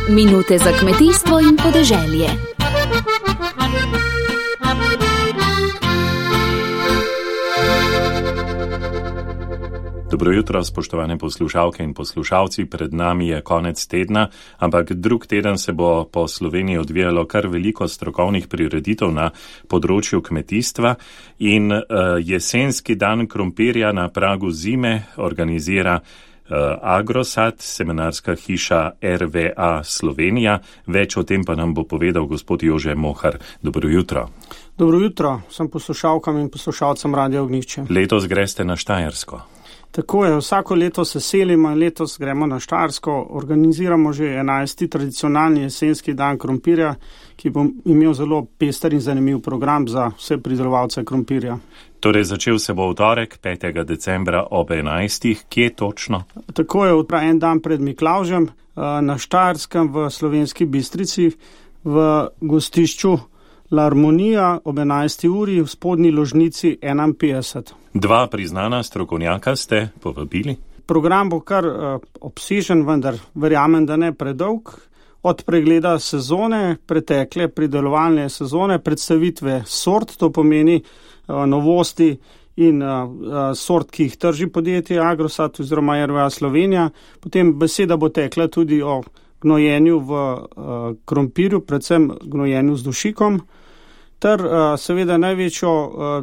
Minute za kmetijstvo in podeželje. Dobro jutro, spoštovane poslušalke in poslušalci. Pred nami je konec tedna, ampak drug teden se bo po Sloveniji odvijalo kar veliko strokovnih prireditev na področju kmetijstva in jesenski dan krompirja na pragu zime organizira Agrosat, seminarska hiša RVA Slovenija. Več o tem pa nam bo povedal gospod Jože Mohar. Dobro jutro. Dobro jutro, sem poslušalkam in poslušalcem Radia Ognjišče. Letos greste na Štajersko. Tako je, vsako leto se selimo in letos gremo na Štajersko. Organiziramo že 11. tradicionalni jesenski dan krompirja, ki bo imel zelo pester in zanimiv program za vse pridelovalce krompirja. Torej, začel se bo v torek, 5. decembra ob 11. Kje točno? Tako je, en dan pred Miklavžem na Štajerskem v Slovenski Bistrici v gostišču L'Harmonija ob 11. uri v spodnji ložnici 51. Dva priznana strokovnjaka ste povabili? Program bo kar obsežen, vendar verjamem, da ne predolg. Od pregleda sezone, pretekle pridelovalne sezone, predstavitve sort, to pomeni novosti in sort, ki jih trži podjetje Agrosat oziroma RVA Slovenija. Potem beseda bo tekla tudi o gnojenju v krompirju, predvsem gnojenju z dušikom, ter seveda največjo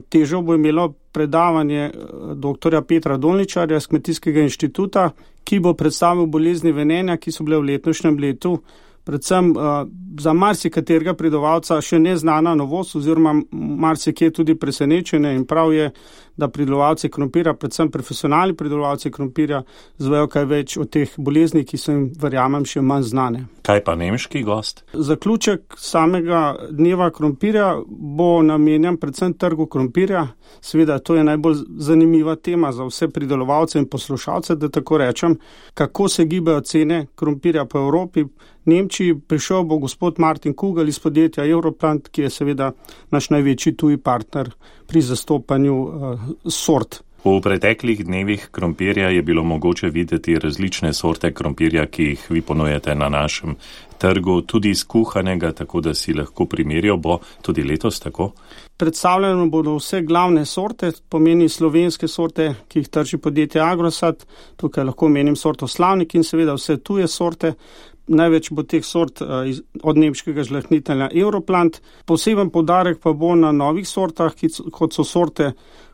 težo bo imelo predavanje dr. Petra Dolničarja z Kmetijskega inštituta, ki bo predstavil bolezni venenja, ki so bile v letošnjem letu predvsem za marsikaterega pridelovalca še neznana novost oziroma marsikje tudi presenečenje, in prav je, da pridelovalci krompirja, predvsem profesionalni pridelovalci krompirja, zvejo kaj več o teh boleznih, ki so jim, verjamem, še manj znane. Kaj pa nemški gost? Zaključek samega dneva krompirja bo namenjen predvsem trgu krompirja. Seveda, to je najbolj zanimiva tema za vse pridelovalce in poslušalce, da tako rečem, kako se gibajo cene krompirja po Evropi. V Nemčiji prišel bo gospod Martin Kugel iz podjetja Europlant, ki je seveda naš največji tuji partner pri zastopanju sort. V preteklih dnevih krompirja je bilo mogoče videti različne sorte krompirja, ki jih vi ponujete na našem trgu, tudi skuhanega, tako da si lahko primerjal. Bo tudi letos tako? Predstavljeno bodo vse glavne sorte, pomeni slovenske sorte, ki jih trži podjetje Agrosat. Tukaj lahko menim sorto Slavnik in seveda vse tuje sorte. Največ bo teh sort od nemškega žlahtnitelja Europlant. Poseben poudarek pa bo na novih sortah, kot so sorte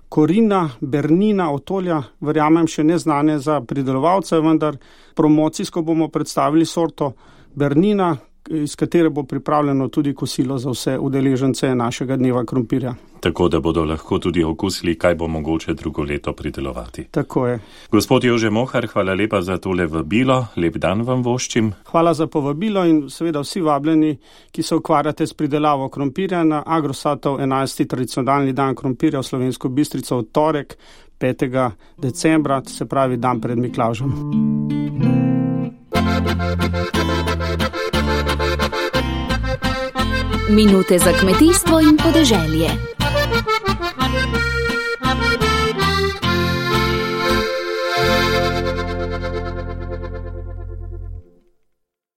Korina, Bernina, Otolja, verjamem še neznane za pridelovalce, vendar promocijsko bomo predstavili sorto Bernina, iz katere bo pripravljeno tudi kosilo za vse udeležence našega dneva krompirja. Tako da bodo lahko tudi okusili, kaj bo mogoče drugo leto pridelovati. Tako je. Gospod Jože Mohar, hvala lepa za tole vabilo. Lep dan vam voščim. Hvala za povabilo in seveda vsi vabljeni, ki se ukvarjate s pridelavo krompirja na Agrosatov 11. tradicionalni dan krompirja v Slovensko Bistrico v torek 5. decembra, se pravi dan pred Miklavžem. Minute za kmetijstvo in podeželje.